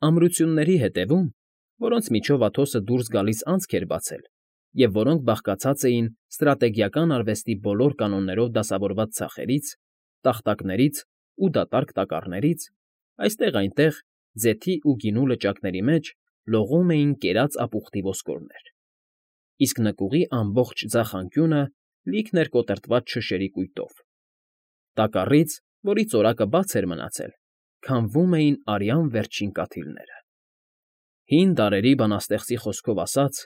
Ամրությունների հետևում, որոնց միջով Աթոսը դուրս գալիս անցք էր բացել և որոնք բաղկացած էին ստրատեգիական արվեստի բոլոր կանոններով դասավորված ցախերից, տախտակներից ու դատարկ տակառներից, այստեղ֊այնտեղ, ձեթի ու գինու լճակների մեջ լողում էին կերած ապուխտի ոսկորներ, իսկ նկուղի ամբողջ ձախ անկյունը լիքն էր կոտրտված շշերի կույտով. տակառից, որի ծորակը բաց էր մնացել, քամվում էին արյան վերջին կաթիլները։ Հին դարերի բանաստեղծի խոսքով ասած,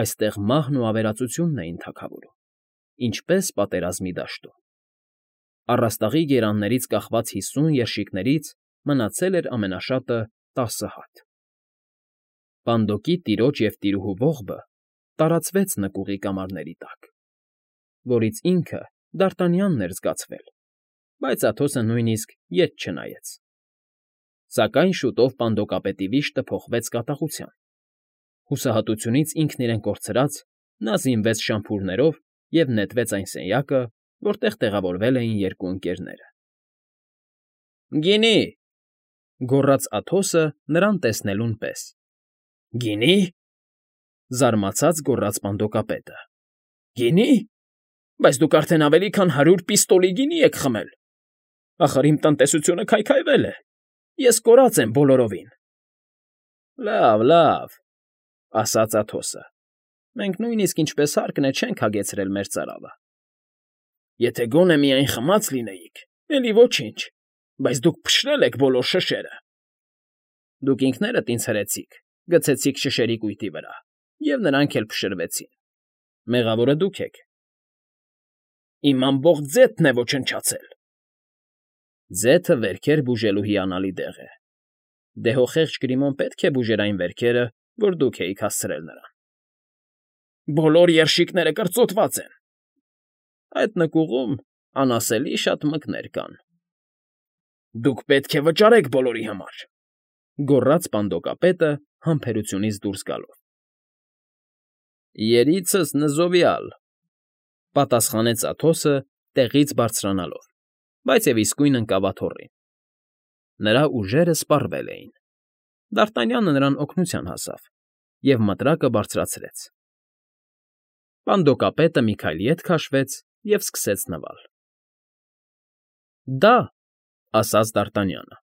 այստեղ մահն ու ավերածությունն էին թագավորում, ինչպես պատերազմի դաշտում։ Առաստաղի գերաններից կախված 50 երշիկներից մնացել էր ամենաշատը 10 հատ։ Պանդոկի տիրոջ և տիրուհու ողբը տարածվեց նկուղի կամարների տակ, որից ինքը Դարտանյանն էր զգացվել, բայց Աթոսը նույնիսկ ետ չնայեց։ Սակայն շուտով պանդոկապետի վիշտը փոխվեց կատաղության։ Հուսահատությունից ինքն իրեն կորցրած՝ նա զինվեց շամփուրներով և նետվեց այն սենյակը, որտեղ տեղավորվել էին երկու ընկերները։ ֊ Գինի!֊ գոռաց Աթոսը նրան տեսնելուն պես։ ֊ Գինի!֊ զարմացած գոռաց պանդոկապետը։ ֊ Գինի՞… Բայց դուք արդեն ավելի քան 100 պիստոլի գինի եք խմել… Ախր իմ տնտեսությունը քայքայվել է, ես կորած եմ բոլորովին։ ֊ Լավ, լավ,֊ ասաց Աթոսը,֊ մենք նույնիսկ ինչպես հարկն է չենք հագեցրել մեր ծարավը։ Եթե գոնե միայն խմած լինեիք, էլի ոչինչ, բայց դուք փշրել եք բոլոր շշերը։ Դուք ինքներդ ինձ հրեցիք, գցեցիք շշերի կույտի վրա, և նրանք էլ փշրվեցին. մեղավորը դուք եք։ Իմ ամբողջ ձեթն է ոչնչացել։ Ձեթը վերքեր բուժելու հիանալի դեղ է։ Դե հո խեղճ Գրիմոն պետք է բուժեր այն վերքերը, որ դուք էիք հասցրել նրան։ Բոլոր երշիկները կրծոտված են։ Այդ նկուղում անասելի շատ մկներ կան։ Դուք պետք է վճարեք բոլորի համար,֊ գոռաց պանդոկապետը համբերությունից դուրս գալով։ Երիցս նզովյալ,֊ պատասխանեց Աթոսը տեղից բարձրանալով, բայց և իսկույն ընկավ աթոռին։ Նրա ուժերը սպառվել էին։ Դարտանյանը նրան օգնության հասավ և մտրակը բարձրացրեց։ Պանդոկապետը մի քայլ ետ քաշվեց և սկսեց նվալ։ ֊ Դա,֊ ասաց Դարտանյանը,֊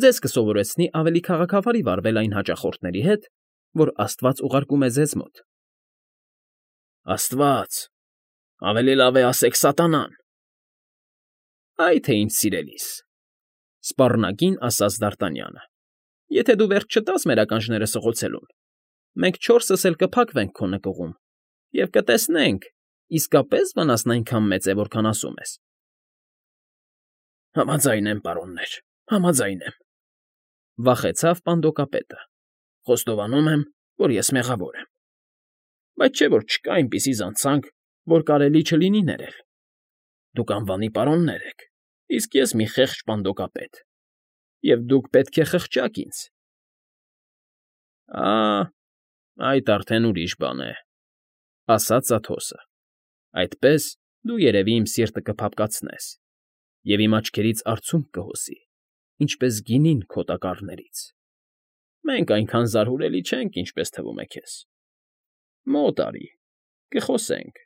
ձեզ կսովորեցնի ավելի քաղաքավարի վարվել այն հաճախորդների հետ, որ աստված ուղարկում է ձեզ մոտ։ ֊ Աստված… Ավելի լավ է ասեք սատանան։ ֊ Այ թե ինձ սիրելիս,֊ սպառնագին ասաց Դարտանյանը,֊ եթե դու վերջ չտաս մեր ականջները սղոցելուն, մենք չորսս էլ կփակվենք քո նկուղում և կտեսնենք՝ իսկապե՞ս վնասն այնքան մեծ է, որքան ասում ես։ ֊ Համաձայն եմ, պարոններ, համաձայն եմ,֊ վախեցավ պանդոկապետը,֊ խոստովանում եմ, որ ես մեղավոր եմ։ Բայց չէ՞ որ չկա այնպիսի զանցանք, որ կարելի չլինի ներել։ Դուք անվանի պարոններ եք, իսկ ես մի խեղճ պանդոկապետ, և դուք պետք է խղճաք ինձ։ ֊ Այդ արդեն ուրիշ բան է,֊ ասաց Աթոսը,֊ այդպես դու երևի իմ սիրտը կփափկացնես և իմ աչքերից արցունք կհոսի, ինչպես գինին քո տակառներից։ Մենք այնքան զարհուրելի չենք, ինչպես թվում է քեզ։ Մոտ արի, կխոսենք։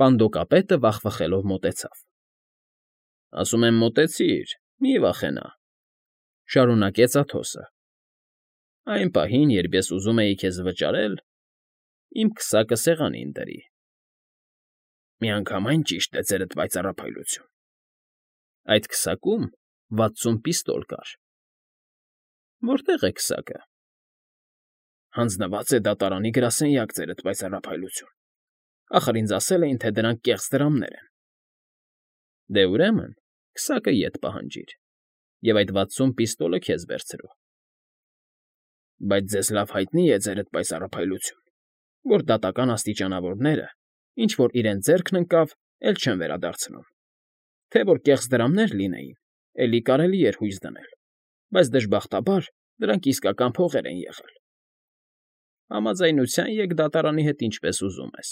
Պանդոկապետը վախվխելով մոտեցավ։ ֊ Ասում եմ մոտեցիր, մի վախենա,֊ շարունակեց Աթոսը։ Այն պահին, երբ ես ուզում էի քեզ վճարել, իմ քսակը սեղանին դրի։ Միանգամայն ճիշտ է ձերդ պայծառափայլություն։ Այդ քսակում 60 պիստոլ կար։ ֊ Որտե՞ղ է քսակը։ ֊ Հանձնված է դատարանի գրասենյակ, ձերդ պայծառափայլություն։ Ախր ինձ ասել էին, թե դրանք կեղծ դրամներ են։ ֊ Դե, ուրեմն քսակը ետ պահանջիր, և այդ 60 պիստոլը քեզ վերցրու։ ֊ Բայց ձեզ լավ հայտնի է, ձերդ պայծառափայլություն, որ դատական աստիճանավորները, ինչ որ իրենց ձեռքն ընկավ, էլ չեն վերադարձնում։ Թե որ կեղծ դրամներ լինեին, էլի կարելի էր հույս դնել, բայց դժբախտաբար դրանք իսկական փողեր են եղել։ Համաձայնության եկ դատարանի հետ ինչպես ուզում ես։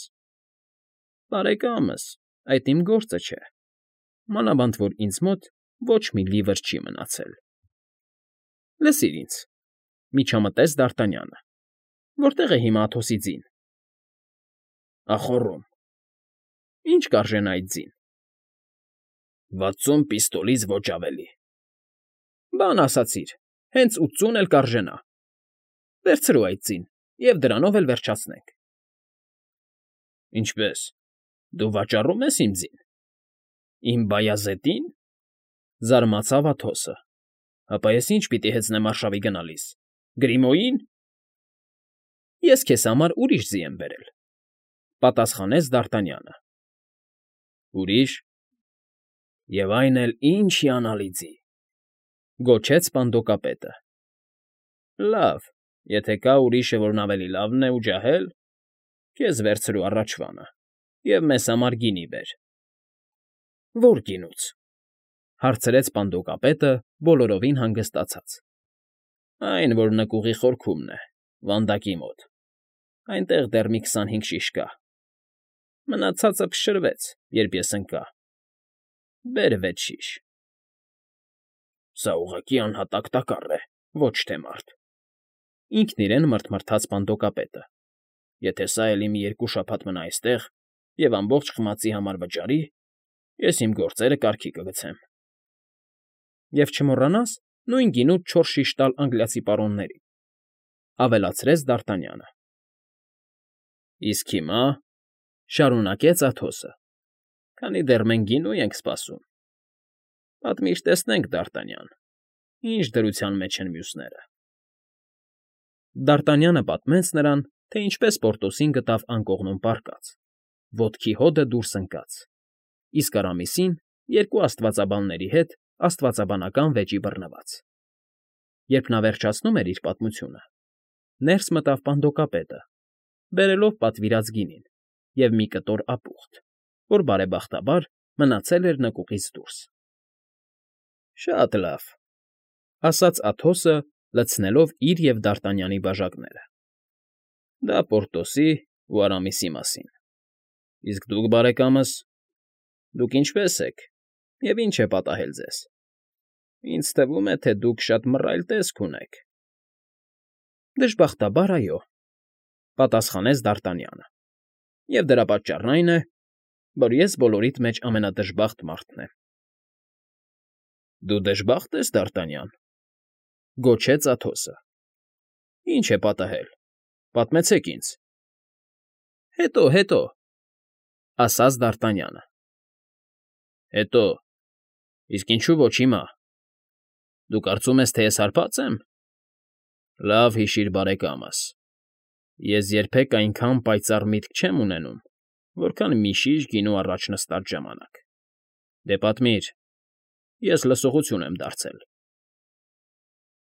Բարեկամս, այդ իմ գործը չէ, մանավանդ որ ինձ մոտ ոչ մի լիվր չի մնացել։ Լսիր ինձ,֊ միջամտեց Դ'Արտանյանը։ Որտե՞ղ է հիմա Աթոսի ձին։ Ախոռում։ Ի՞նչ կարժենա այդ ձին։ 60 պիստոլից ոչ ավելի։ Բան ասացիր, հենց 80 էլ կարժենա։ Վերցրու այդ ձին և դրանով էլ վերջացնենք։ Ինչպե՞ս, դու վաճառում ես իմ ձին։ Իմ Բայազետի՞ն,֊ զարմացավ Աթոսը։ Հապա ես ի՞նչ պիտի հեծնեմ արշավի գնալիս, Գրիմոյի՞ն։ Ես քեզ համար ուրիշ ձի եմ բերել,֊ պատասխանեց Դ'Արտանյանը։ Ուրի՞շ։ Եվ այն էլ ինչ հիանալի ձի,֊ գոչեց սպանդոկապետը։ Լավ, եթե կա ուրիշը, որն ավելի լավն է ու ջահել, քեզ վերցրու առաջվանը և մեզ համար գինի բեր։ Ո՞ր գինուց,֊ հարցրեց սպանդոկապետը բոլորովին հանգստացած։ Այն, որ նկուղի խորքումն է, վանդակի մոտ, այնտեղ դեռ մի 25 շիշ կա։ Մնացածը փշրվեց, երբ ես ընկա։ Բեր 6 շիշ։ Սա ուղղակի անհատակ տակառ է, ոչ թե մարդ,֊ ինքն իրեն մռթմռթաց սպանդոկապետը։ Եթե սա էլի մի 2 շաբաթ մնա այստեղ և ամբողջ խմածի համար վճարի, ես իմ գործերը կարգի կգցեմ։ Եվ չմոռանաս նույն գինուց 4 շիշ տալ անգլիացի պարոններին,֊ ավելացրեց Դ'Արտանյանը։ Իսկ հիմա,֊ շարունակեց Աթոսը,֊ քանի դեռ մենք գինու ենք սպասում, պատմիր տեսնենք, Դ'Արտանյան, ինչ դրության մեջ են մյուսները։ Դ'Արտանյանը պատմեց նրան, թե ինչպես Պորտոսին գտավ անկողնում պառկած, ոտքի հոդը դուրս ընկած, իսկ Արամիսին 2 աստվածաբանների հետ աստվածաբանական վեճի բռնված։ Երբ նա վերջացնում էր իր պատմությունը, ներս մտավ սպանդոկապետը, բերելով պատվիրած գինին և մի կտոր ապուխտ, որ բարեբախտաբար մնացել էր նկուղից դուրս։ Շատ լավ,֊ ասաց Աթոսը, լցնելով իր և Դ'Արտանյանի բաժակները։ Դա Պորտոսի ու Արամիսի մասին։ Իսկ դուք, բարեկամս, դուք ինչպե՞ս եք և ինչ է պատահել ձեզ։ Ինձ թվում է, թե դուք շատ մռայլ տեսք ունեք։ Դժբախտաբար, այո,֊ պատասխանեց Դ'Արտանյանը։ Եվ դրա պատճառն այն է, որ ես բոլորիդ մեջ ամենադժբախտ մարդն եմ։ Դու դժբախտ ես, Դ'Արտանյան,֊ գոչեց Աթոսը։ Ինչ է պատահել, պատմեցեք ինձ։ Հետո,֊ ասաց Դ'Արտանյանը։ Հետո, իսկ ինչու ոչ հիմա։ Դու կարծում ես, թե ես հարբած եմ։ Լավ հիշիր, բարեկամս, ես երբեք այնքան պայծառ միտք չեմ ունենում, որքան մի շիշ գինու առաջ նստած ժամանակ։ Դե պատմիր, ես լսողություն եմ դարձել։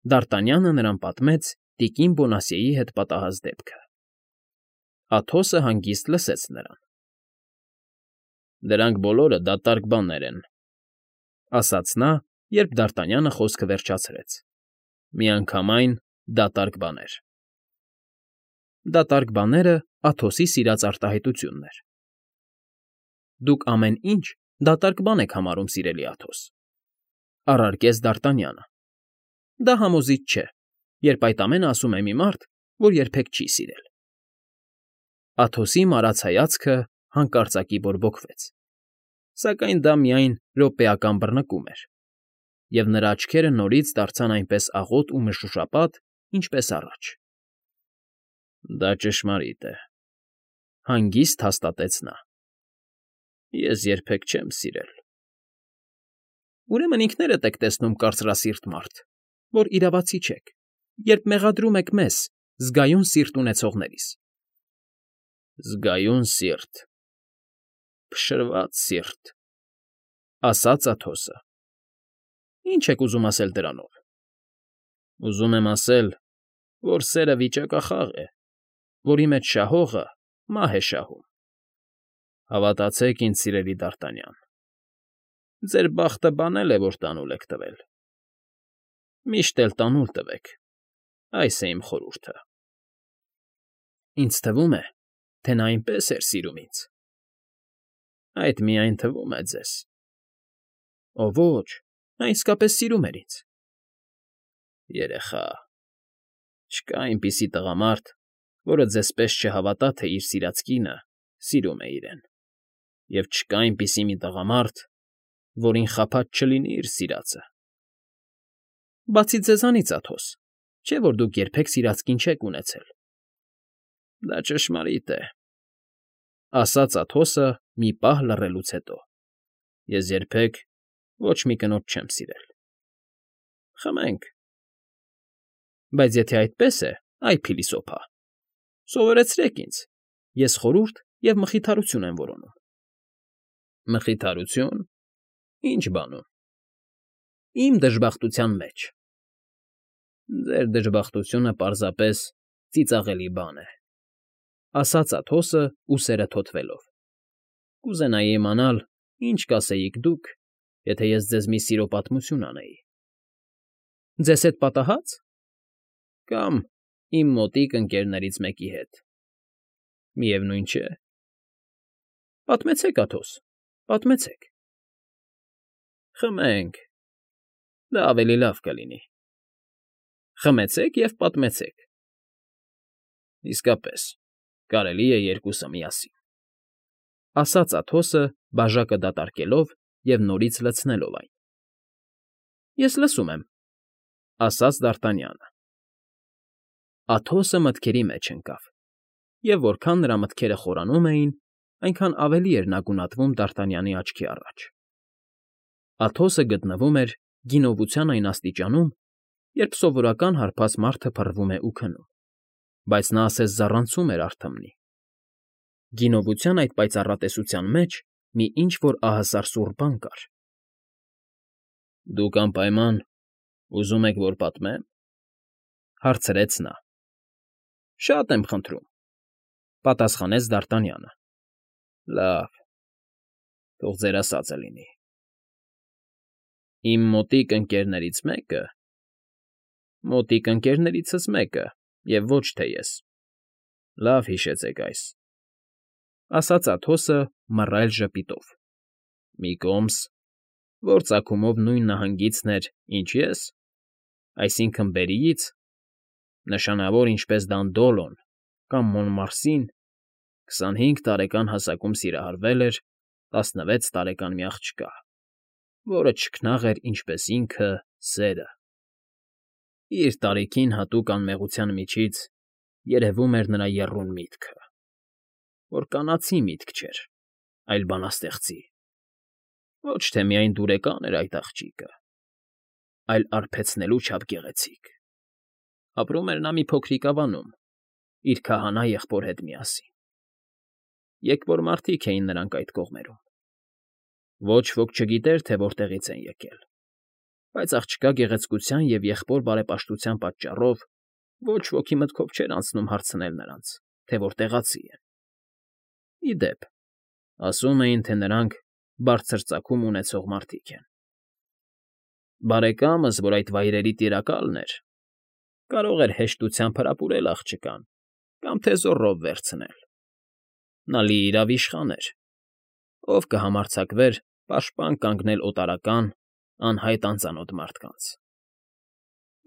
Դ'Արտանյանը նրան պատմեց տիկին Բոնասիեի հետ պատահած դեպքը։ Աթոսը հանգիստ լսեց նրան։ Դրանք բոլորը դատարկ բաներ են,֊ ասաց նա, երբ Դ'Արտանյանը խոսքը վերջացրեց։ Միանգամայն դատարկ բաներ։ Դատարկ բաները Աթոսի սիրած արտահայտությունն էր։ Դուք ամեն ինչ դատարկ բան եք համարում, սիրելի Աթոս,֊ առարկեց Դ'Արտանյանը։ Դա համոզիչ չէ, երբ այդ ամենը ասում է մի մարդ, որ երբեք չի սիրել։ Աթոսի մարած հայացքը հանկարծակի բորբոքվեց, սակայն դա միայն րոպեական բռնկում էր, և նրա աչքերը նորից դարձան այնպես աղոտ ու մշուշապատ, ինչպես առաջ։ Դա ճշմարիտ է,֊ հանգիստ հաստատեց նա։ Ես երբեք չեմ սիրել։ Ուրեմն ինքներդ եք տեսնում կարծրասիրտ մարդ, որ իրավացի չեք, երբ մեղադրում եք մեզ, զգայուն սիրտ ունեցողներիս։ Զգայուն սիրտ, փշրված սիրտ,֊ ասաց Աթոսը։ Ինչ եք ուզում ասել դրանով։ Ուզում եմ ասել, որ սերը վիճակախաղ է, որի մեջ շահողը մահ է շահում։ Հավատացեք ինձ, սիրելի Դ'Արտանյան, ձեր բախտը բանել է, որ տանուլ եք տվել։ Միշտ էլ տանուլ տվեք, այս է իմ խորհուրդը։ Ինձ թվում է, թե նա այնպես էր սիրում ինձ։ Այդ միայն թվում է ձեզ։ Ո ոչ, նա իսկապես սիրում էր ինձ։ Երեխա, չկա այնպիսի տղամարդ, որը ձեզ պես չհավատա, թե իր սիրած կինը սիրում է իրեն, և չկա այնպիսի մի տղամարդ, որին խաբած չլինի իր սիրածը։ Բացի ձեզանից, Աթոս, չէ՞ որ դուք երբեք սիրած կին չեք ունեցել։ Դա ճշմարիտ է, ասաց Աթոսը մի պահ լռելուց հետո։ Ես երբեք ոչ մի կնոջ չեմ սիրել։ Խմենք։ Բայց եթե այդպես է, այ փիլիսոփա, սովորեցրեք ինձ, ես խորհուրդ և մխիթարություն եմ որոնում։ Մխիթարություն։ Ինչ բանում։ Իմ դժբախտության մեջ։ Ձեր դժբախտությունը պարզապես ծիծաղելի բան է, ասաց Աթոսը ուսերը թոթվելով։ Կուզենայի իմանալ, ինչ կասեիք դուք, եթե ես ձեզ մի սիրո պատմություն անեի։ Ձեզ հետ պատահա՞ծ։ Կամ իմ մոտիկ ընկերներից մեկի հետ։ Միևնույն չէ։ Պատմեցեք, Աթոս, պատմեցեք։ Խմենք։ Դա ավելի լավ կլինի։ Խմեցեք և պատմեցեք։ Իսկապես, կարելի է երկուսը միասին, ասաց Աթոսը, բաժակը դատարկելով և նորից լցնելով այն։ Ես լսում եմ, ասաց Դ'Արտանյանը։ Աթոսը մտքերի մեջ ընկավ, և որքան նրա մտքերը խորանում էին, այնքան ավելի էր նա գունատվում Դ'Արտանյանի աչքի առաջ։ Աթոսը գտնվում էր գինովության այն աստիճանում, երբ սովորական հարբած մարդը փռվում է ու քնում, բայց նա ասես զառանցում էր արթմնի։ Գինովության այդ պայծառատեսության մեջ մի ինչ֊որ ահասար սուռ բան կար։ Դուք անպայման ուզում եք, որ պատմե՞մ, հարցրեց նա։ Շատ եմ խնդրում, պատասխանեց Դ'Արտանյանը։ Լավ, թող ձեր ասածը լինի։ Իմ մոտիկ ընկերներից մեկը… Մոտիկ ընկերներիցս մեկը, և ոչ թե ես… Լավ հիշեցեք այս, ասաց Աթոսը մռայլ ժպիտով։ Մի կոմս, որ ծագումով նույն նահանգիցն էր, ինչ ես, այսինքն Բերիից, նշանավոր ինչպես Դանդոլոն կամ Մոնմարսին, 25 տարեկան հասակում սիրահարվել էր 16 տարեկան մի աղջկա, որը չքնաղ էր ինչպես ինքը՝ սերը։ Իր տարիքին հատուկ անմեղության միջից երևում էր նրա եռուն միտքը, որ կանացի միտք չէր, այլ բանաստեղծի։ Ոչ թե միայն դուրեկան էր այդ աղջիկը, այլ արբեցնելու չափ գեղեցիկ։ Ապրում էր նա մի փոքրիկ ավանում, իր քահանա եղբոր հետ միասին։ Եկվոր մարդիկ էին նրանք այդ կողմերում։ Ոչ ոք չգիտեր, թե որտեղից են եկել, բայց աղջկա գեղեցկության և եղբոր բարեպաշտության պատճառով ոչ ոքի մտքով չէր անցնում հարցնել նրանց, թե որտեղացի են։ Ի դեպ, ասում էին, թե նրանք բարձր ծագում ունեցող մարդիկ են։ Բարեկամս, որ այդ վայրերի տիրակալն էր, կարող էր հեշտությամբ հրապուրել աղջկան կամ թե զոռով վերցնել։ Նա լիիրավ իշխան էր, ով կհամարձակվեր պաշտպան կանգնել օտարական, անհայտ անծանոթ մարդկանց։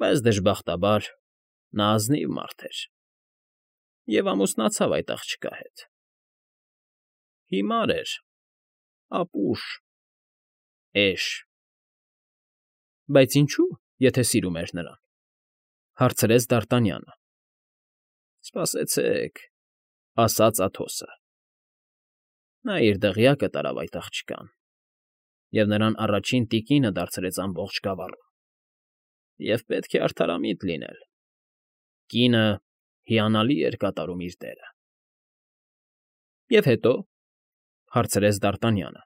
Բայց դժբախտաբար նա ազնիվ մարդ էր և ամուսնացավ այդ աղջկա հետ։ Հիմար էր, ապուշ, էշ։ Բայց ինչո՞ւ, եթե սիրում էր նրան, հարցրեց Դ'Արտանյանը։ Սպասեցեք, ասաց Աթոսը։ Նա իր դղյակը տարավ այդ աղջկան, և նրան առաջին տիկինը դարձրեց ամբողջ գավառում, և պետք է արդարամիտ լինել. կինը հիանալի էր կատարում իր դերը։ Եվ հետո, հարցրեց Դ'Արտանյանը։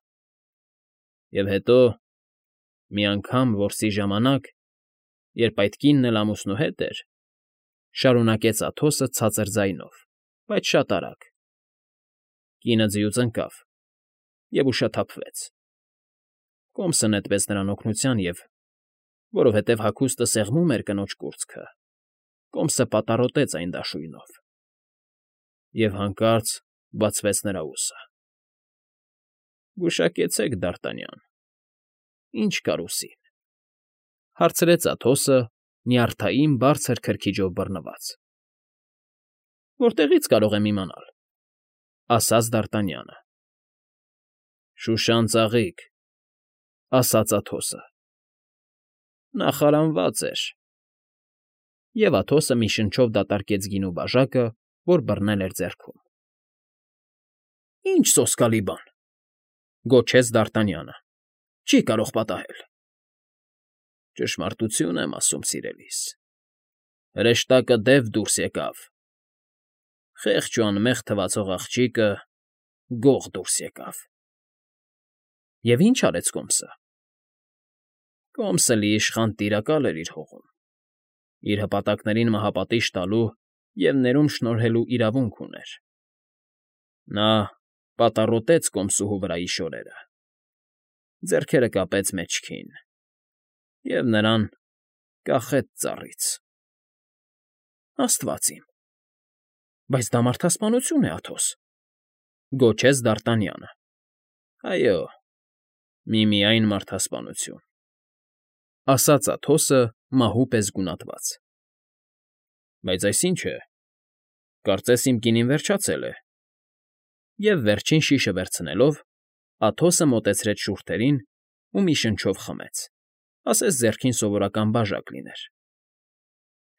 Եվ հետո, մի անգամ որսի ժամանակ, երբ այդ կինն էլ ամուսնու հետ էր, շարունակեց Աթոսը ցածր ձայնով, բայց շատ արագ, կինը ձիուց ընկավ և ուշաթափվեց։ Կոմսը նետվեց նրան օգնության և, որովհետև հագուստը սեղմում էր կնոջ կուրծքը, կոմսը պատառոտեց այն դաշույնով, և հանկարծ բացվեց նրա ուսը։ Գուշակեցեք, Դ'Արտանյան, ի՞նչ կար ուսին, հարցրեց Աթոսը, նյարդային բարձր քրքիջով բռնված։ ֊ Որտեղից կարող եմ իմանալ,֊ ասաց Դարտանյանը։ ֊ Շուշան ծաղիկ,֊ ասաց Աթոսը։ ֊ Նախարանված էր։ Եվ Աթոսը մի շնչով դատարկեց գինու բաժակը, որ բռնել էր ձեռքում։ ֊ Ի՜նչ սոսկալի բան,֊ գոչեց Դարտանյանը,֊ չի կարող պատահել։ ֊ Ճշմարտություն եմ ասում, սիրելիս, հրեշտակը դեպ դուրս եկավ, խեղճ ու անմեղ թվացող աղջիկը գող դուրս եկավ։ ֊ Եվ ի՞նչ արեց Կոմսը։ ֊ Կոմսը լիիշխան տիրակալ էր իր հողում, իր հպատակներին մահապատիժ տալու և ներում շնորհելու իրավունք ուներ։ Նա պատառոտեց կոմսուհու վրայի շորերը, ձեռքերը կապեց մեջքին և նրան կախեց ծառից։ ֊ Աստված իմ… Բայց դա մարդասպանություն է, Աթոս,֊ գոչեց Դարտանյանը։ ֊ Այո, միմիայն մարդասպանություն,֊ ասաց Աթոսը մահու պես գունատված։ ֊ Բայց այս ի՞նչ է, կարծես իմ կինին վերջացել է։ Եվ վերջին շիշը վերցնելով, Աթոսը մոտեցրեց շուրթերին ու մի շնչով խմեց, ասես ձեռքին սովորական բաժակ լիներ։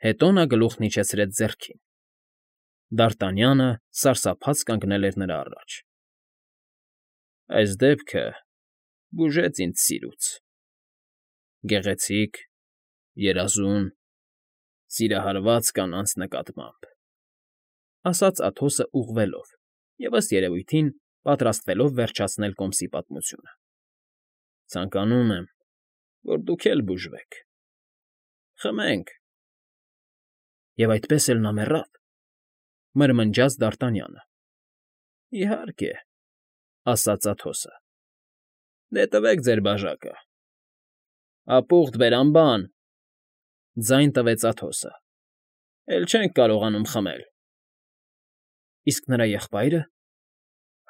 Հետո նա գլուխն իջեցրեց ձեռքին։ Դարտանյանը սարսափած կանգնել էր նրա առաջ։ ֊ Այս դեպքը բուժեց ինձ սիրուց… Գեղեցիկ, երազուն, սիրահարված կանանց նկատմամբ,֊ ասաց Աթոսը ուղղվելով և, ըստ երևույթին, պատրաստվելով վերջացնել Կոմսի պատմությունը։ ֊ Ցանկանում եմ, որ դուք էլ բուժվեք… Խմենք… Եվ այդպես էլ նա մեռավ,֊ մրմնջաց Դարտանյանը։ ֊ Իհարկե,֊ ասաց Աթոսը։ ֊ Դե տվեք ձեր բաժակը։ ֊ Ապուխտ բերան, ձայն տվեց Աթոսը։ ֊ Էլ չենք կարողանում խմել։ ֊ Իսկ նրա եղբայրը,֊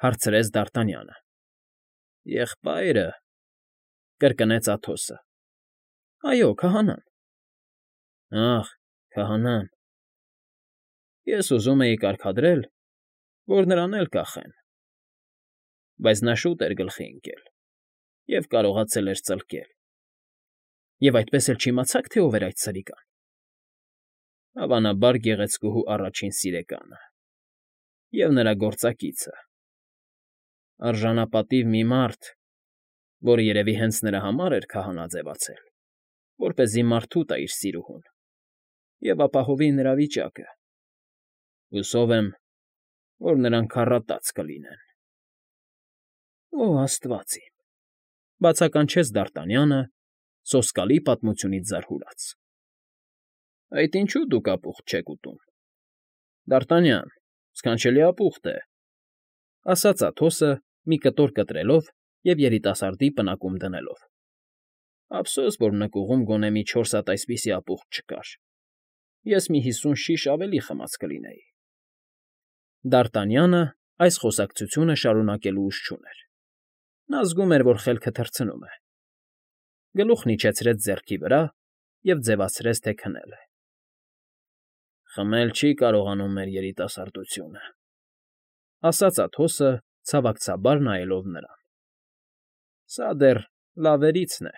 հարցրեց Դարտանյանը։ ֊ Եղբայրը,֊ կրկնեց Աթոսը։ ֊ Այո, քահանան։ ֊ Ախ, քահանան… Ես ուզում էի կարգադրել, որ նրան էլ կախեն, բայց նա շուտ էր գլխի ընկել և կարողացել էր ծլկել։ ֊ Եվ այդպես էլ չիմացա՞ք, թե ով էր այդ սրիկան։ ֊ Հավանաբար գեղեցկուհու առաջին սիրեկանը և նրա գործակիցը… Արժանապատիվ մի մարդ, որը երևի հենց նրա համար էր քահանա ձևացել, որպեսզի մարդու տա իր սիրուհուն և ապահովի նրա վիճակը… Հուսով եմ, որ նրանք առատած կլինեն։ ֊ Օ աստված իմ…֊ բացականչեց Դարտանյանը, սոսկալի պատմությունից զարհուրած։ ֊ Այդ ինչու դուք ապուխտ չեք ուտում։ ֊ Դարտանյան, սքանչելի ապուխտ է,֊ ասաց Աթոսը, մի կտոր կտրելով և երիտասարդի պնակում դնելով։ ֊ Ափսոս, որ նկուղում գոնե մի 4 հատ այսպիսի ապուխտ չկար, ես մի 50 շիշ ավելի խմած կլինեի։ Դարտանյանը այս խոսակցությունը շարունակելու ուժ չուներ։ Նա զգում էր, որ խելքը թռցնում է։ Գլուխն իջեցրեց ձեռքի վրա և ձևացրեց, թե քնել է։ ֊ Խմել չի կարողանում մեր երիտասարդությունը,֊ ասաց Աթոսը, ցավակցաբար նայելով նրան։ ֊ Սա դեռ լավերիցն է։